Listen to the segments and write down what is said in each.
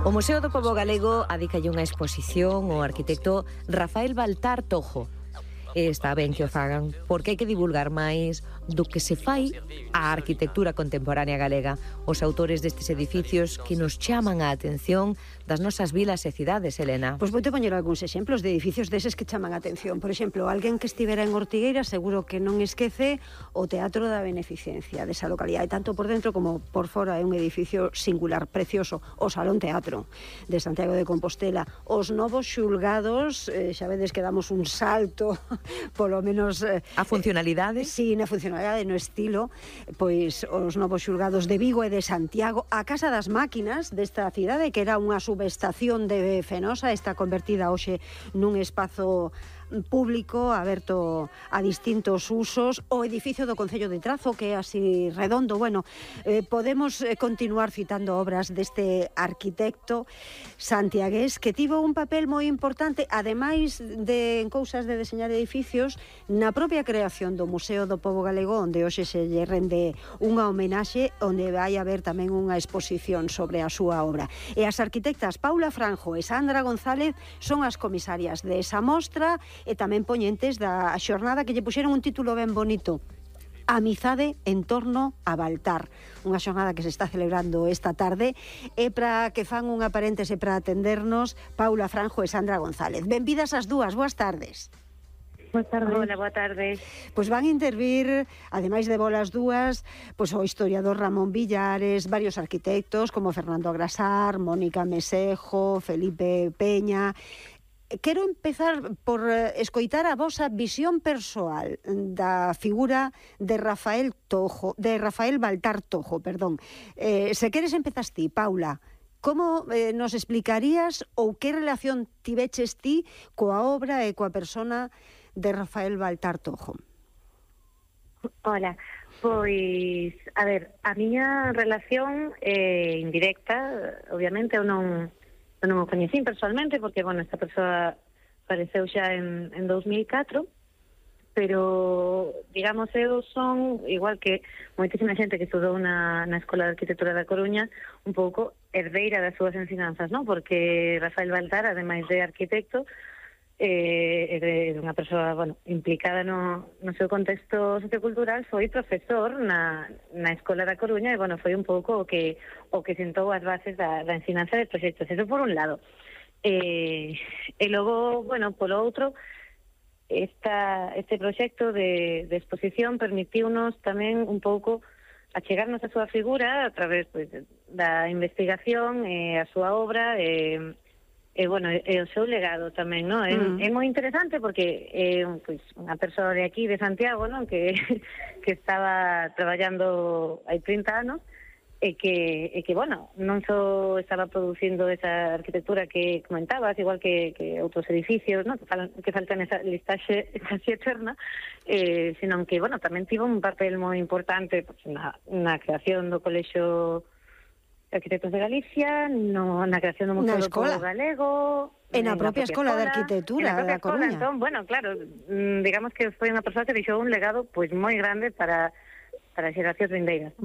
O Museo do Pobo Galego adicalle unha exposición ao arquitecto Rafael Baltar Tojo. E está ben que o fagan, porque hai que divulgar máis do que se fai a arquitectura contemporánea galega. Os autores destes edificios que nos chaman a atención das nosas vilas e cidades, Elena. Pois vou te poñer algúns exemplos de edificios deses que chaman a atención. Por exemplo, alguén que estivera en Ortigueira seguro que non esquece o Teatro da Beneficencia desa localidade, tanto por dentro como por fora. É un edificio singular, precioso. O Salón Teatro de Santiago de Compostela. Os novos xulgados, xa vedes que damos un salto polo menos a funcionalidade? Sí, na funcionalidade, no estilo. Pois os novos xulgados de Vigo e de Santiago. A Casa das Máquinas desta cidade, que era unha subestación de Fenosa, está convertida hoxe nun espazo público aberto a distintos usos. O edificio do Concello de Trazo, que é así redondo. Bueno, podemos continuar citando obras deste arquitecto santiagués que tivo un papel moi importante, ademais de en cousas de deseñar edificios, na propia creación do Museo do Pobo Galego, onde hoxe se lle rende unha homenaxe, onde vai haber tamén unha exposición sobre a súa obra. E as arquitectas Paula Franjo e Sandra González son as comisarias desa mostra e tamén poñentes da xornada que lle puxeron un título ben bonito: Amizade en torno a Baltar, unha xornada que se está celebrando esta tarde. E para que fan unha paréntese para atendernos, Paula Franjo e Sandra González. Benvidas as dúas, boas tardes. Boa tarde. Hola, boa tarde. Pois van intervir, ademais de bolas dúas, pois o historiador Ramón Villares, varios arquitectos como Fernando Agrasar, Mónica Mesejo, Felipe Peña. Quero empezar por escoitar a vosa visión persoal da figura de Rafael Baltar Tojo, perdón. Se queres empezas ti, Paula. Como nos explicarías ou que relación tiveches ti coa obra e coa persona de Rafael Baltar Tojo? Hola, pois, a ver, a miña relación é indirecta, obviamente, eu non o coñecín personalmente, porque, bueno, esta persoa apareceu xa en 2004, pero, digamos, eu son, igual que moitísima xente que estudou na Escola de Arquitectura da Coruña, un pouco herdeira das súas ensinanzas, non? Porque Rafael Baltar, ademais de arquitecto, é unha persoa, bueno, implicada no seu contexto sociocultural, foi profesor na Escola da Coruña e, bueno, foi un pouco o que sentou as bases da ensinanza de proxectos. Eso por un lado. E logo, bueno, polo outro, este proxecto de exposición permitiunos tamén un pouco achegarnos a súa figura a través, pues, da investigación e a súa obra e bueno, e o seu legado tamén, non? É moi interesante porque é pois, unha persoa de aquí, de Santiago, non? Que estaba traballando hai 30 anos e que bueno, non só estaba producindo esa arquitectura que comentabas, igual que outros edificios, non? Que faltan esa listaxe casi eterna, senón que, bueno, tamén tivo un papel moi importante pues, na creación do Colexio Arquitectos de Galicia, na creación do Museo do Pobo Galego, en a propia Escola de Arquitectura da Coruña. Entón, bueno, claro, digamos que foi unha persoa que deixou un legado pois moi grande para as xeracións vindeiras.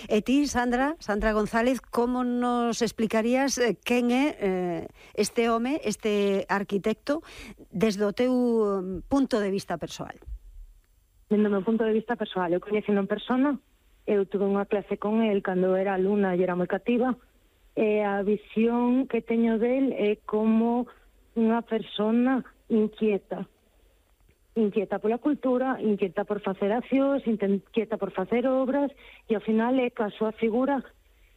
E ti, Sandra González, como nos explicarías quen é este home, este arquitecto, desde o teu punto de vista persoal? Desde o meu punto de vista persoal, eu coñecendo en persona. Eu tuve unha clase con el cando era alumna e era moi cativa, e a visión que teño del é como unha persona inquieta pola cultura, inquieta por facer accións, inquieta por facer obras, e ao final é que a súa figura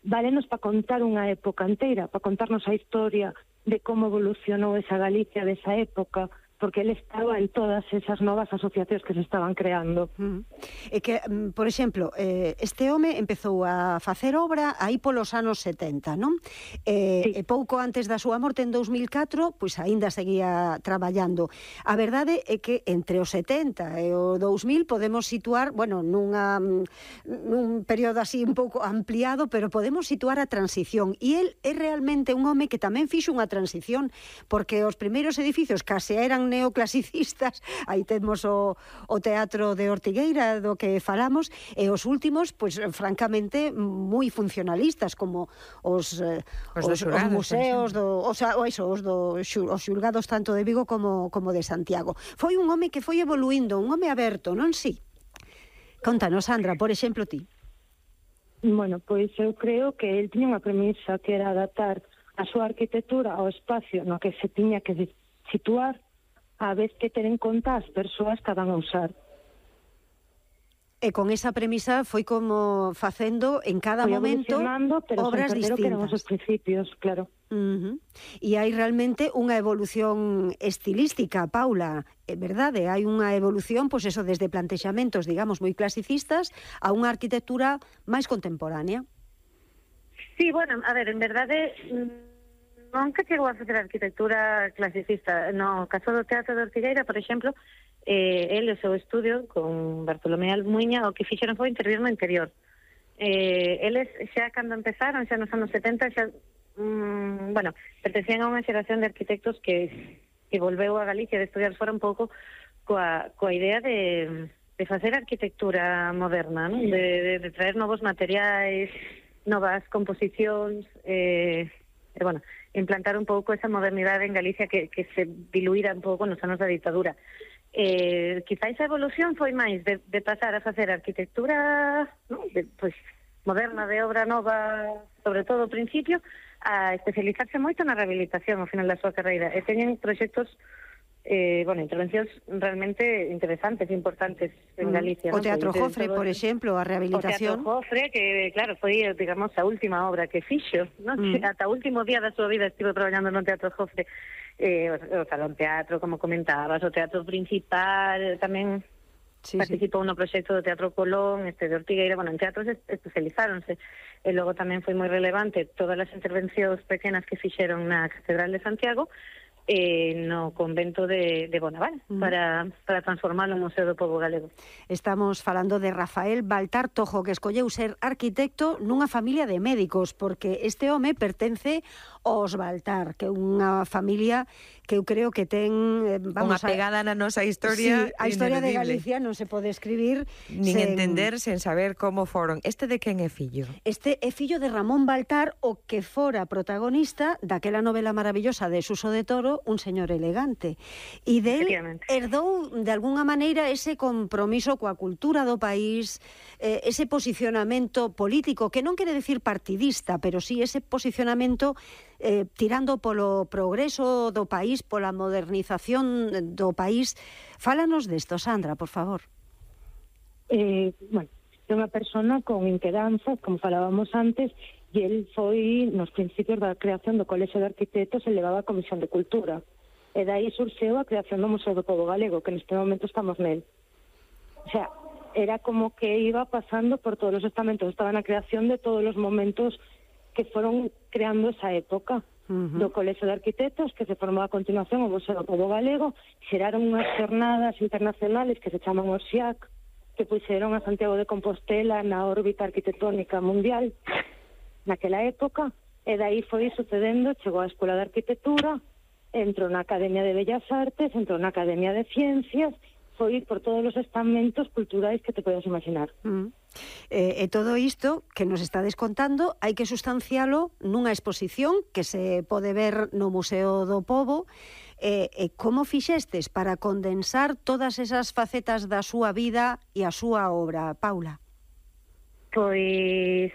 válenos para contar unha época inteira, para contarnos a historia de como evolucionou esa Galicia desa época, porque ele estaba en todas esas novas asociacións que se estaban creando. E que, por exemplo, este home empezou a facer obra aí polos anos 70, non? Sí. E pouco antes da súa morte, en 2004, pois aínda seguía traballando. A verdade é que entre o 70 e o 2000 podemos situar, bueno, nun período así un pouco ampliado, pero podemos situar a transición. E el é realmente un home que tamén fixo unha transición, porque os primeiros edificios case eran son neoclasicistas, aí temos o Teatro de Ortigueira do que falamos, e os últimos, pois francamente moi funcionalistas, como os museos os xulgados tanto de Vigo como de Santiago. Foi un home que foi evoluindo, un home aberto, non si? Contanos, Sandra, por exemplo, ti. Bueno, pois eu creo que el tiña unha premisa que era adaptar a súa arquitectura ao espacio no que se tiña que situar, a vez que ter en conta as persoas que van a usar. E con esa premisa foi como facendo en cada momento obras distintas. Que eran os principios, claro. E hai realmente unha evolución estilística, Paula, é verdade? Hai unha evolución, pois eso, desde plantexamentos, digamos, moi clasicistas a unha arquitectura máis contemporánea. Sí, bueno, a ver, en verdade, nunca chegou a facer arquitectura clasicista. No caso do Teatro de Ortigueira, por exemplo, el e o seu estudio con Bartolomé Almuiña o que fixeron foi intervir no interior. Eles xa cando empezaron, xa nos anos 70, xa pertencían a unha xeración de arquitectos que volveu a Galicia de estudiar fora un pouco coa idea de facer arquitectura moderna, ¿no? de traer novos materiais, novas composicións, implantar un pouco esa modernidade en Galicia que se diluíra un pouco nos anos da ditadura. Quizáis a evolución foi máis de pasar a facer arquitectura, ¿no? Moderna, de obra nova, sobre todo ao principio, a especializarse moito na rehabilitación ao final da súa carreira. E teñen proxectos, intervencións realmente interesantes, importantes en Galicia. O Teatro Jofre, por exemplo, a rehabilitación. O Teatro Jofre, que, claro, foi, digamos, a última obra que fixo, ¿no? Ata o último día da súa vida estivo traballando no Teatro Jofre. O Salón Teatro, como comentabas, o Teatro Principal, tamén participou no proxecto do Teatro Colón, de Ortigueira, en teatros especializáronse. E logo tamén foi moi relevante todas as intervencións pequenas que fixeron na Catedral de Santiago no convento de Bonaval para transformalo en Museo do Pobo Galego. Estamos falando de Rafael Baltar Tojo, que escolleu ser arquitecto nunha familia de médicos, porque este home pertence aos Baltar, que é unha familia que eu creo que ten unha pegada na nosa historia. Sí, a historia de Galicia non se pode escribir nin entender sen saber como foron. Este de quen é fillo? Este é fillo de Ramón Baltar, o que fora protagonista daquela novela maravillosa de Suso de Toro, Un señor elegante. E del herdou de algunha maneira ese compromiso coa cultura do país, ese posicionamento político, que non quere decir partidista, pero sí ese posicionamento tirando polo progreso do país, pola modernización do país. Fálanos desto, Sandra, por favor. É unha persona con inquedanzas, como falábamos antes, e el foi, nos principios da creación do Colexio de Arquitectos, elevaba a Comisión de Cultura. E dai surxeu a creación do Museo do Pobo Galego, que neste momento estamos nel. O sea, era como que iba pasando por todos os estamentos, estaba na creación de todos os momentos que foron creando esa época do Colexio de Arquitectos, que se formou a continuación o Museo do Pobo Galego. Xeraron unhas xornadas internacionales que se chaman os XIAC, que puxeron a Santiago de Compostela na órbita arquitectónica mundial naquela época, e dai foi sucedendo, chegou á Escola de Arquitectura, entrou na Academia de Bellas Artes, entrou na Academia de Ciencias, foi por todos os estamentos culturais que te podes imaginar. E todo isto que nos está descontando hai que sustancialo nunha exposición que se pode ver no Museo do Pobo. Como fixestes para condensar todas esas facetas da súa vida e a súa obra, Paula? Pois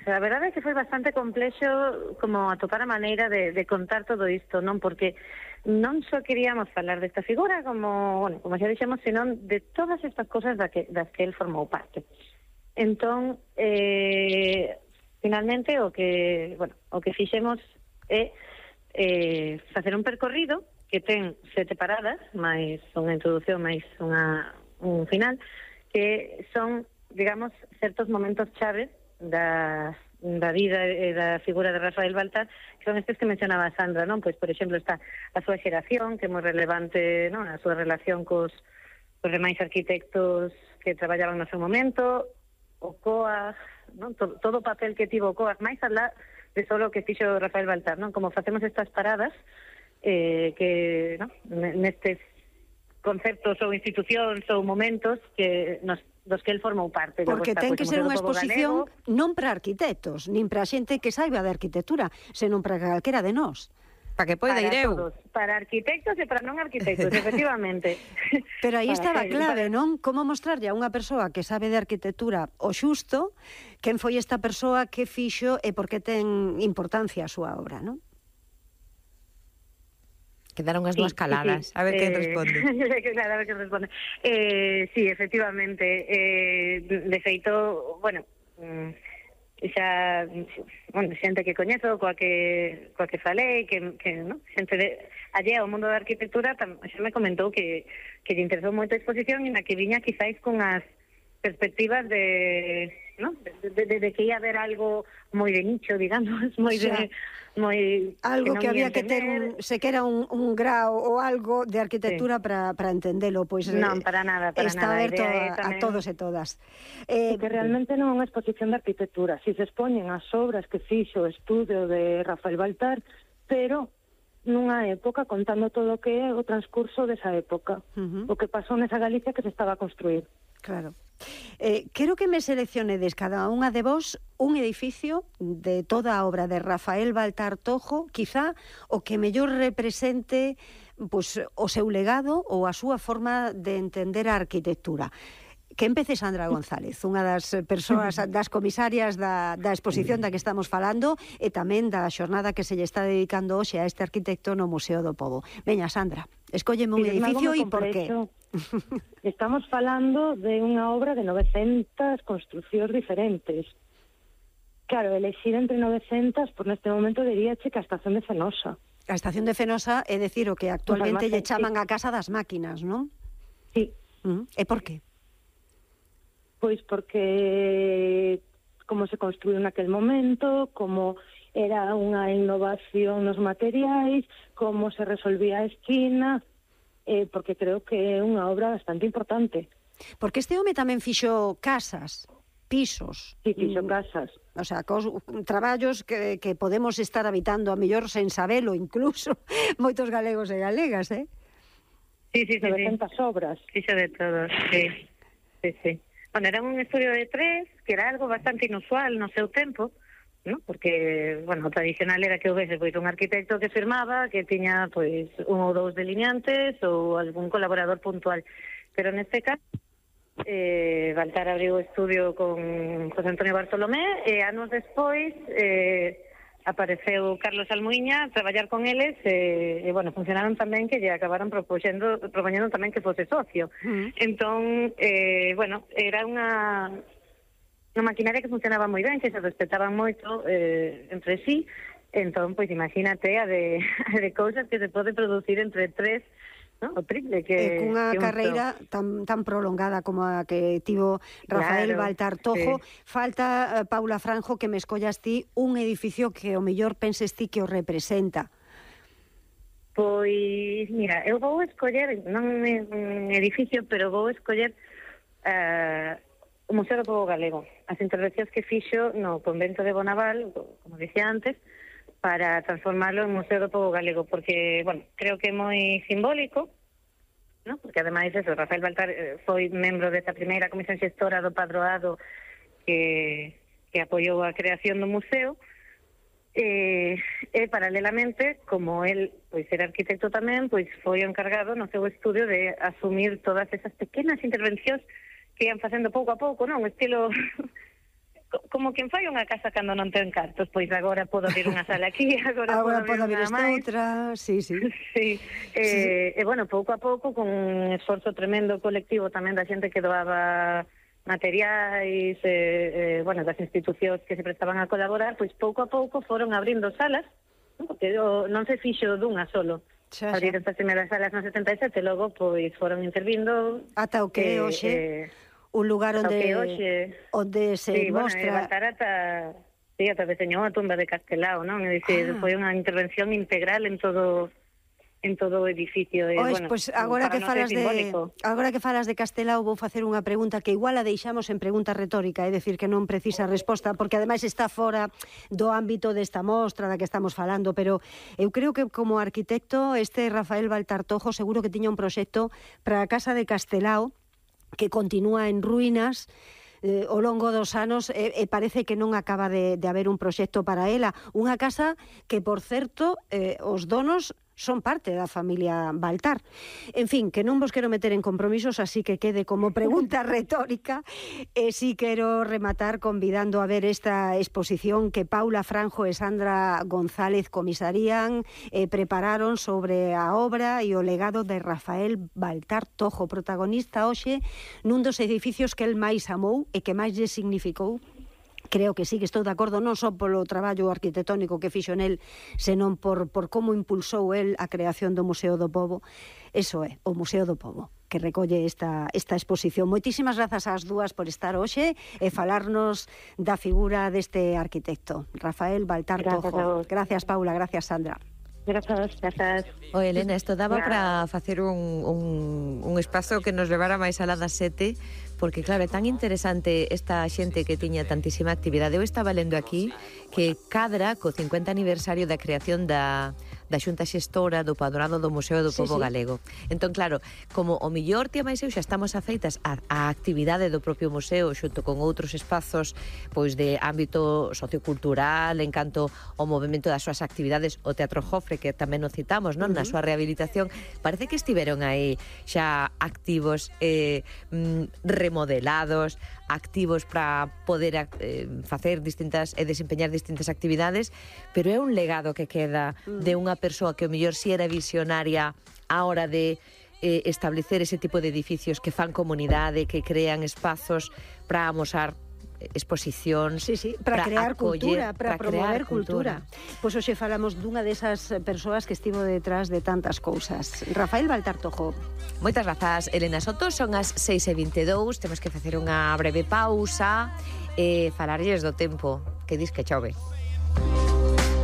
a verdade é que foi bastante complexo como atopar a maneira de contar todo isto, non? Porque non só queríamos falar desta figura, como xa dixemos, senón de todas estas cosas das que el formou parte. Entón, finalmente, o que fixemos é facer un percorrido que ten 7 paradas, máis unha introducción, máis un final, que son, digamos, certos momentos chaves da vida e da figura de Rafael Baltar, que son estes que mencionaba Sandra, non? Pois, por exemplo, está a súa xeración, que é moi relevante, non? A súa relación cos demais arquitectos que traballaban no seu momento, o COAG, non? Todo o papel que tivo o COAG, máis alá de solo o que fixo Rafael Baltar, non? Como facemos estas paradas, que no, nestes conceptos ou institucións ou momentos que dos que el formou parte. Porque ten que ser unha exposición non para arquitectos, nin para xente que saiba de arquitectura, senón para calquera de nós. Para que poida ir eu. Todos, para arquitectos e para non arquitectos, efectivamente. Pero aí estaba clave, non? Como mostrarlle a unha persoa que sabe de arquitectura o xusto, quen foi esta persoa, que fixo e por que ten importancia a súa obra, non? Quedaron as dúas caladas. A ver quen responde. Claro, a ver quen responde. Sí, efectivamente. De feito, bueno, xa, xente que coñezo, coa que falei, que no? Xente allé ao mundo da arquitectura, xa me comentou que lle interesou moito a exposición e na que viña quizáis con as perspectivas de que ia haber algo moi de nicho, digamos, moi de... algo que había que ter sequera un grao ou algo de arquitectura para entendelo, pois non, para nada, está aberto a todos e todas. Que realmente non é unha exposición de arquitectura, si se expoñen as obras que fixo o estudio de Rafael Baltar, pero nunha época contando todo o que é o transcurso desa época, o que pasou nesa Galicia que se estaba a construir. Claro. Quero que me seleccionedes cada unha de vos un edificio de toda a obra de Rafael Baltar Tojo, quizá o que mellor represente pois, o seu legado ou a súa forma de entender a arquitectura. Que empece Sandra González, unha das persoas, das comisarias da exposición da que estamos falando e tamén da xornada que se lle está dedicando hoxe a este arquitecto no Museo do Pobo. Veña, Sandra, escólleme un edificio e por qué. Estamos falando de unha obra de 900 construcións diferentes. Claro, elegir entre 900, por neste momento diríache que a estación de Fenosa. A estación de Fenosa é decir o que actualmente lle chaman a Casa das Máquinas, non? Sí. E por qué? Pois porque como se construiu naquel momento, como era unha innovación nos materiais, como se resolvía a esquina, porque creo que é unha obra bastante importante. Porque este home tamén fixo casas, pisos. Sí, fixo casas. O sea, traballos que podemos estar habitando a mellor sen sabelo, incluso moitos galegos e galegas, Sí. 900 obras. Fixo de todo, sí. Bueno, era un estudio de 3, que era algo bastante inusual no seu tempo, ¿no? Porque, bueno, o tradicional era que houvese pois un arquitecto que firmaba, que tiña pois un ou dous delineantes ou algún colaborador puntual. Pero neste caso, Baltar abriu o estudio con José Antonio Bartolomé e anos despois apareceu Carlos Almuiña a traballar con eles e bueno, funcionaron tamén que lle acabaron propoñendo tamén que fose socio. Entón, bueno, era unha maquinaria que funcionaba moi ben, que se respetaban moito entre sí. Entón, pois imagínate a de cousas que se pode producir entre 3, ¿no? O triple que cunha carreira tan prolongada como a que tivo Rafael Baltar Tojo. Falta, Paula Franjo, que me escollas ti un edificio que o mellor penses ti que o representa. Pois, mira, eu vou escoller, non é un edificio, pero vou escoller o Museo do Pobo Galego. As intervencións que fixo no convento de Bonaval, como dicía antes, para transformarlo en Museo do Pobo Galego, porque, bueno, creo que é moi simbólico, ¿no? Porque ademais eso, Rafael Baltar foi membro desta primeira comisión xestora do Padroado que apoiou a creación do museo, e paralelamente, como el pois era arquitecto tamén, pois foi o encargado no seu estudio de asumir todas esas pequenas intervencións que ian facendo pouco a pouco, non? Un estilo como quen fai unha casa cando non ten cartos, pois agora podo abrir unha sala aquí, agora podo abrir esta outra, sí. Sí. E bueno, pouco a pouco, con un esforzo tremendo colectivo tamén da xente que doaba materiais, bueno, das institucións que se prestaban a colaborar, pois pouco a pouco foron abrindo salas, ¿no? Porque non se fixo dunha solo. Abriron estas primeiras salas no 77, logo pois foron intervindo ata o que hoxe un lugar onde se mostra... Ata deseñou a tumba de Castelao, non? É dicir, foi unha intervención integral en todo en todo o edificio. Bueno, pois agora que falas de Castelao vou facer unha pregunta que igual a deixamos en pregunta retórica, é dicir que non precisa resposta, porque ademais está fora do ámbito desta mostra da que estamos falando, pero eu creo que como arquitecto este Rafael Baltar Tojo seguro que tiña un proxecto para a Casa de Castelao que continúa en ruínas ao longo dos anos e parece que non acaba de haber un proxecto para ela. Unha casa que, por certo, os donos son parte da familia Baltar. En fin, que non vos quero meter en compromisos, así que quede como pregunta retórica. E si quero rematar convidando a ver esta exposición que Paula Franjo e Sandra González comisarían e prepararon sobre a obra e o legado de Rafael Baltar Tojo, protagonista hoxe nun dos edificios que el máis amou e que máis lle significou. Creo que sí, que estou de acordo non só polo traballo arquitectónico que fixo nel, senón por como impulsou el a creación do Museo do Pobo. Eso é, o Museo do Pobo, que recolle esta exposición. Moitísimas grazas ás dúas por estar hoxe e falarnos da figura deste arquitecto, Rafael Baltar Tojo. Gracias, Paula, gracias, Sandra. Grazas. Elena, isto daba para facer un espazo que nos levara máis alá das 7, porque claro, é tan interesante esta xente que tiña tantísima actividade. Eu estaba lendo aquí que cadra co 50 aniversario da creación da Xunta Xestora do Padroado do Museo do Pobo Galego. Entón, claro, como o millor tía máis eu xa estamos afeitas á actividade do propio museo xunto con outros espazos pois de ámbito sociocultural en canto ao movimento das súas actividades, o Teatro Jofre, que tamén nos citamos, non, na súa rehabilitación, parece que estiveron aí xa activos, remodelados, activos para poder facer distintas e desempeñar distintas actividades, pero é un legado que queda de unha persoa que o mellor si era visionaria á hora de establecer ese tipo de edificios que fan comunidade, que crean espazos para amosar exposicións, para crear cultura, para promover cultura. Pois hoxe falamos dunha desas persoas que estivo detrás de tantas cousas. Rafael Baltar Tojo. Moitas grazas, Elena Soto. Son as 6:22, temos que facer unha breve pausa e falarlles do tempo, que dis que chove.